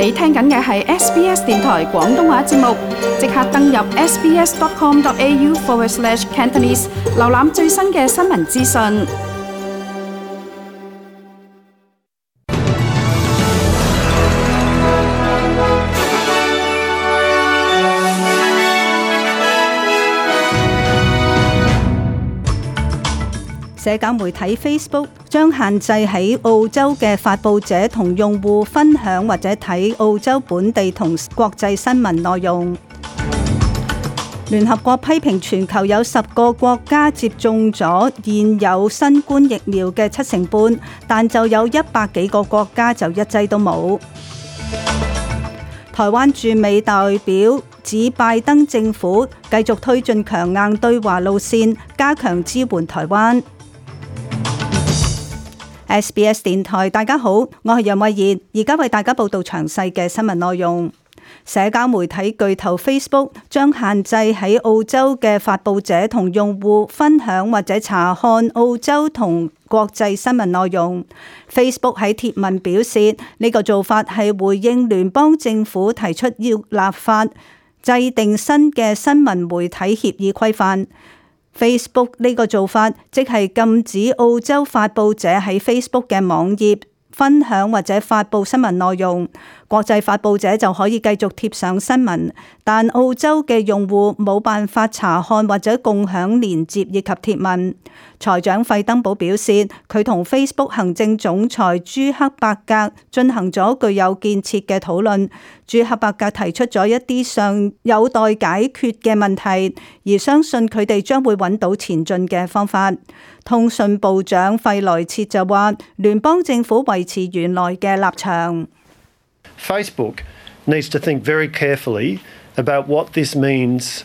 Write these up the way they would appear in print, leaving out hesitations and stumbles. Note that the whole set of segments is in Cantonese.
你聽緊嘅係 SBS 電台廣東話節目，即刻登入 sbs.com.au/Cantonese， 瀏覽最新嘅新聞資訊。社交媒體 Facebook 將限制喺澳洲嘅發佈者同用戶分享或者睇澳洲本地同國際新聞內容。聯合國批評全球有10個國家接種咗現有新冠疫苗嘅70%，但就有100幾個國家就一劑都冇。台灣駐美代表指拜登政府繼續推進強硬對華路線，加強支援台灣。SBS 電台，大家好，我係楊慧妍，而家為大家報道詳細嘅新聞內容。社交媒體巨頭 Facebook 將限制喺澳洲嘅發佈者同用戶分享或者查看澳洲同國際新聞內容。Facebook 喺貼文表示，呢個做法係回應聯邦政府提出要立法制定新嘅新聞媒體協議規範。Facebook 呢個做法即係禁止澳洲發佈者喺 Facebook 嘅網頁分享或者發佈新聞內容，國際發佈者就可以繼續貼上新聞，但澳洲嘅用戶冇辦法查看或者共享連結以及貼文。財長費登堡表示，佢同 Facebook 行政總裁朱克伯格進行咗具有建設嘅討論。朱克伯格提出咗一啲尚有待解決嘅問題，而相信佢哋將會揾到前進嘅方法。通訊部長費萊切就話，聯邦政府維持原來嘅立場。Facebook needs to think very carefully about what this means.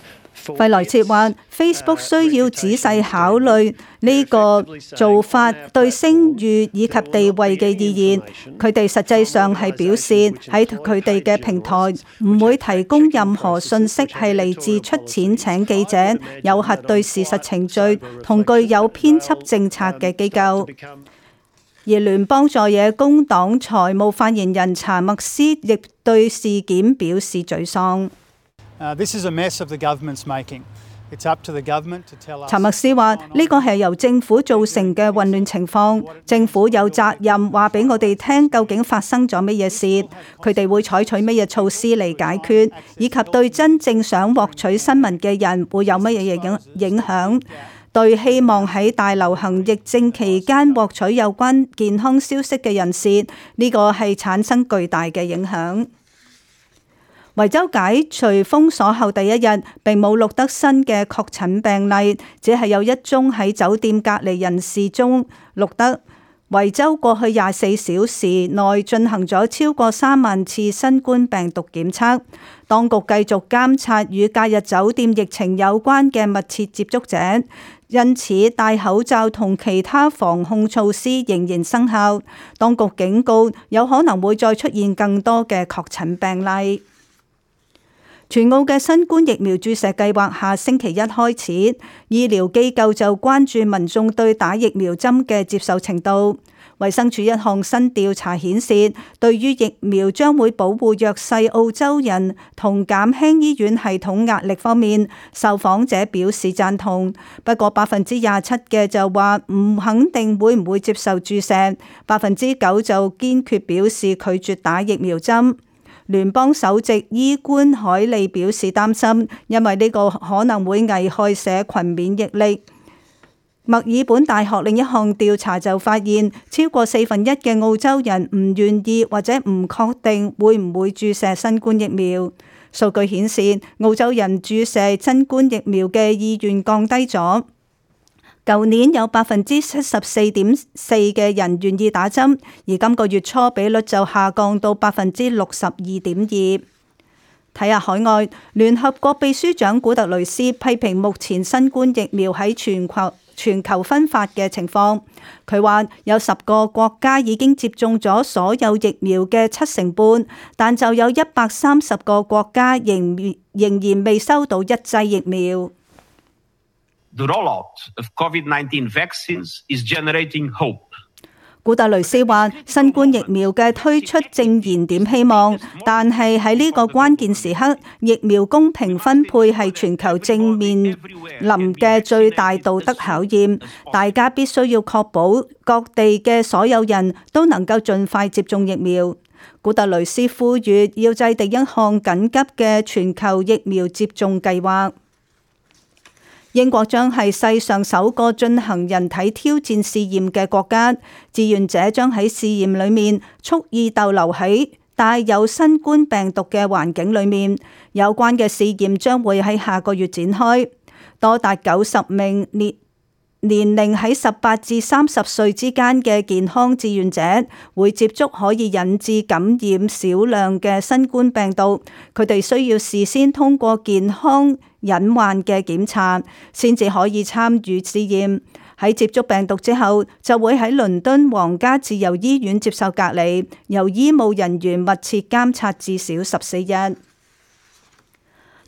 費萊切話 ：Facebook 需要仔細考慮呢個做法對聲譽以及地位嘅意義。佢哋實際上係表示喺佢哋嘅平台唔會提供任何信息係嚟自出錢請記者、有核對事實程序同具有編輯政策嘅機構。而聯邦在野工黨財務發言人查默斯亦對事件表示沮喪。查默斯話：呢個係由政府造成嘅混亂情況，政府有責任話俾我哋聽究竟發生咗乜嘢事，佢哋會採取乜嘢措施嚟解決，以及對真正想獲取新聞嘅人會有乜嘢影響。對希望喺大流行疫症期間獲取有關健康消息嘅人士，呢個係產生巨大嘅影響。維州解除封鎖後第一日，並冇錄得新嘅確診病例，只係有一宗喺酒店隔離人士中錄得。維州過去24小時內進行咗超過3萬次新冠病毒檢測。當局繼續監察與假日酒店疫情有關嘅密切接觸者，因此戴口罩同其他防控措施仍然生效。當局警告有可能會再出現更多嘅確診病例。全澳嘅新冠疫苗注射計劃下星期一開始，醫療機構就關注民眾對打疫苗針嘅接受程度。衛生署一項新調查顯示，對於疫苗將會保護弱勢澳洲人同減輕醫院系統壓力方面，受訪者表示贊同。不過27%嘅就話唔肯定會唔會接受注射，9%就堅決表示拒絕打疫苗針。聯邦首席醫官海利表示擔心，因為呢個可能會危害社群免疫力。墨爾本大學另一項調查就發現，超過1/4嘅澳洲人唔願意或者唔確定會唔會注射新冠疫苗。數據顯示，澳洲人注射新冠疫苗嘅意願降低咗。舊年有74.4%嘅人願意打針，而今個月初比率就下降到62.2%。睇下海外，聯合國秘書長古特雷斯批評目前新冠疫苗喺全球分發嘅情況。佢話有10個國家已經接種咗所有疫苗嘅70%，但就有130個國家仍然未收到一劑疫苗。The rollout of COVID-19 vaccines is generating hope. 古特雷斯話：新冠疫苗嘅推出正燃點希望，但係喺呢個關鍵時刻，疫苗公平分配係全球正面臨嘅最大道德考驗。大家必須要確保各地嘅所有人都能夠盡快接種疫苗。古特雷斯呼籲要制定一項緊急嘅全球疫苗接種計劃。英國將係世上首個進行人體挑戰試驗嘅國家，志願者將喺試驗裏面蓄意逗留喺帶有新冠病毒嘅環境裏面。有關嘅試驗將會喺下個月展開。多達90名年齡喺18至30歲之間嘅健康志願者會接觸可以引致感染少量嘅新冠病毒，佢哋需要事先通過健康隱患嘅檢查，先至可以參與試驗。喺接觸病毒之後，就會喺倫敦皇家自由醫院接受隔離，由醫務人員密切監察至少14日。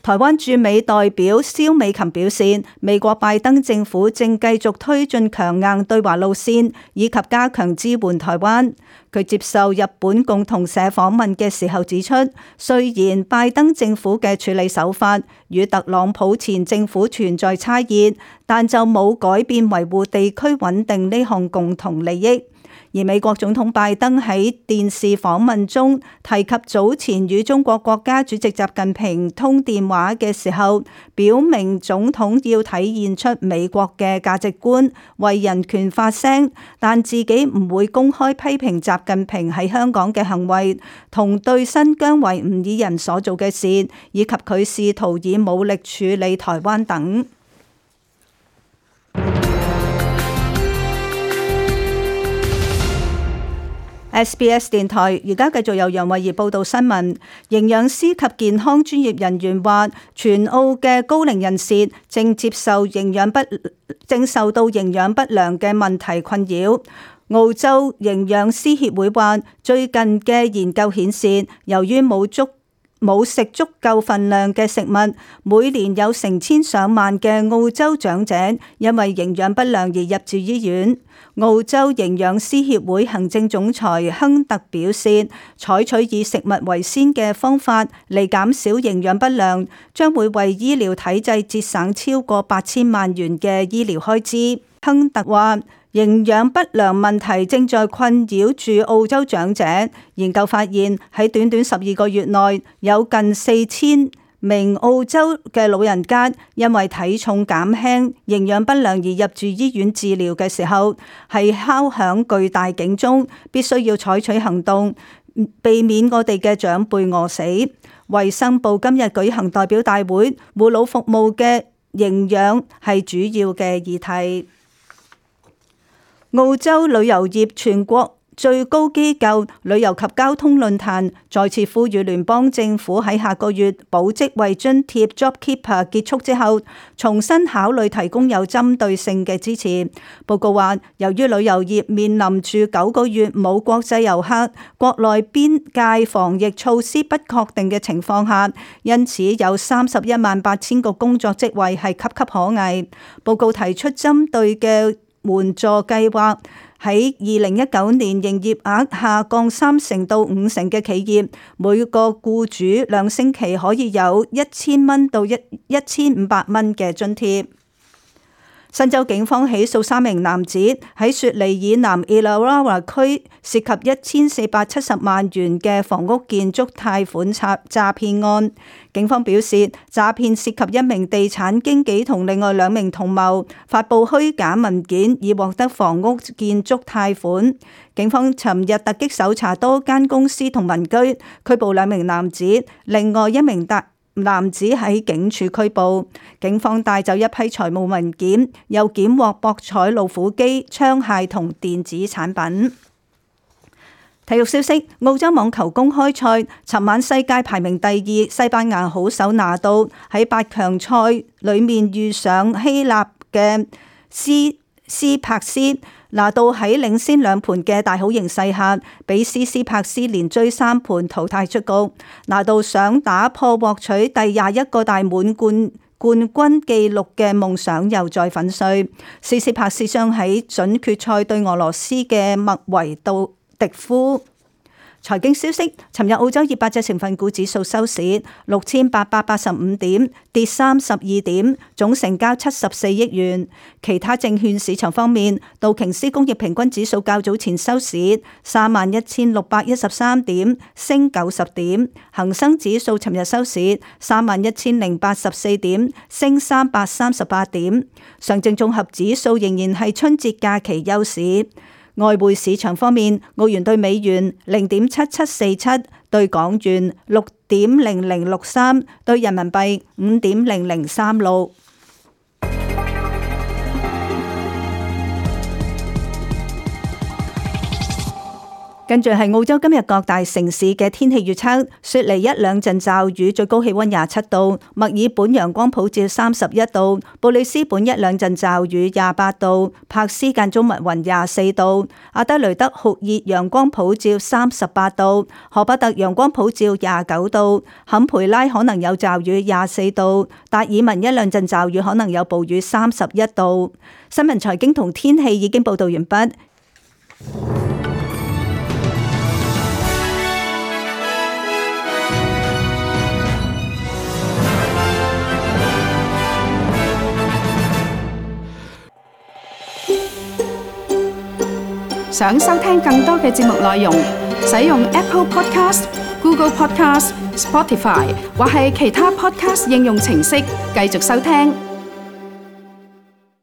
台灣駐美代表蕭美琴表示，美國拜登政府正繼續推進強硬對華路線，以及加強支援台灣。佢接受日本共同社訪問嘅時候指出，雖然拜登政府嘅處理手法與特朗普前政府存在差異，但就冇改變維護地區穩定呢項共同利益。而美國總統拜登喺電視訪問中提及早前與中國國家主席習近平通電話嘅時候，表明總統要體現出美國嘅價值觀，為人權發聲，但自己唔會公開批評習近平喺香港嘅行為，同對新疆維吾爾人所做嘅事，以及佢試圖以武力處理台灣等。SBS 電台而家繼續由楊慧儀報道新聞。營養師及健康專業人員話，全澳嘅高齡人士正受到營養不良嘅問題困擾。澳洲營養師協會話，最近嘅研究顯示，由於冇食足夠份量嘅食物，每年有成千上萬嘅澳洲長者因為營養不良而入住醫院。澳洲營養師協會行政總裁亨特表示，採取以食物為先嘅方法嚟減少營養不良，將會為醫療體制節省超過8000萬元嘅醫療開支。亨特話，營養不良問題正在困擾住澳洲長者。研究發現，喺短短12個月內，有近4000名澳洲嘅老人家因為體重減輕、營養不良而入住醫院治療嘅時候，係敲響巨大警鐘，必須要採取行動，避免我哋嘅長輩餓死。衛生部今日舉行代表大會，護老服務嘅營養係主要嘅議題。澳洲旅遊業全國最高機構旅遊及交通論壇再次呼籲聯邦政府喺下個月保職位津貼 JobKeeper 結束之後，重新考慮提供有針對性嘅支持。報告話，由於旅遊業面臨住9個月冇國際遊客、國內邊界防疫措施不確定嘅情況下，因此有318000個工作職位係岌岌可危。報告提出針對嘅援助計劃，喺2019年營業額下降30%到50%嘅企業，每個僱主2星期可以有1000到1500蚊嘅津貼。新州警方起訴3名男子喺雪梨以南 Illawarra 區涉及1470萬元嘅房屋建築貸款詐騙案。警方表示，詐騙涉及一名地產經紀同另外2名同謀，發布虛假文件以獲得房屋建築貸款。警方尋日突擊搜查多間公司同民居，拘捕2名男子，另外1名男子喺警署拘捕。警方帶走一批財務文件，又檢獲博彩老虎機、槍械同電子產品。體育消息：澳洲網球公開賽，尋晚世界排名第2西班牙好手拿度喺8強賽裏面遇上希臘嘅斯帕斯。拿度喺領先2盤嘅大好形勢下，俾斯帕斯連追3盤淘汰出局。拿度想打破獲取第21個大滿貫冠軍紀錄嘅夢想又再粉碎。斯斯帕斯將喺準決賽對俄羅斯嘅麥維杜迪夫。財經消息，尋日澳洲200隻成分股指數收市6885點，跌32點，總成交74億元。其他證券市場方面，道瓊斯工業平均指數較早前收市31613點，升90點；恒生指數尋日收市31084點，升338點。上證綜合指數仍然係春節假期休市。外匯市場方面，澳元對美元0.7747，對港元6.0063，對人民幣5.0036。跟住係澳洲今日各大城市嘅天氣預測：雪梨一兩陣驟雨，最高氣溫27度；墨爾本陽光普照31度；布里斯本一兩陣驟雨28度；柏斯間中密雲24度；阿德雷德酷熱陽光普照38度；荷伯特陽光普照29度；坎培拉可能有驟雨24度；達爾文一兩陣驟雨可能有暴雨31度。新聞財經同天氣已經報道完畢。想收聽更多嘅節目內容，使用 Apple Podcast、Google Podcast、Spotify 或係其他 Podcast 應用程式繼續收聽。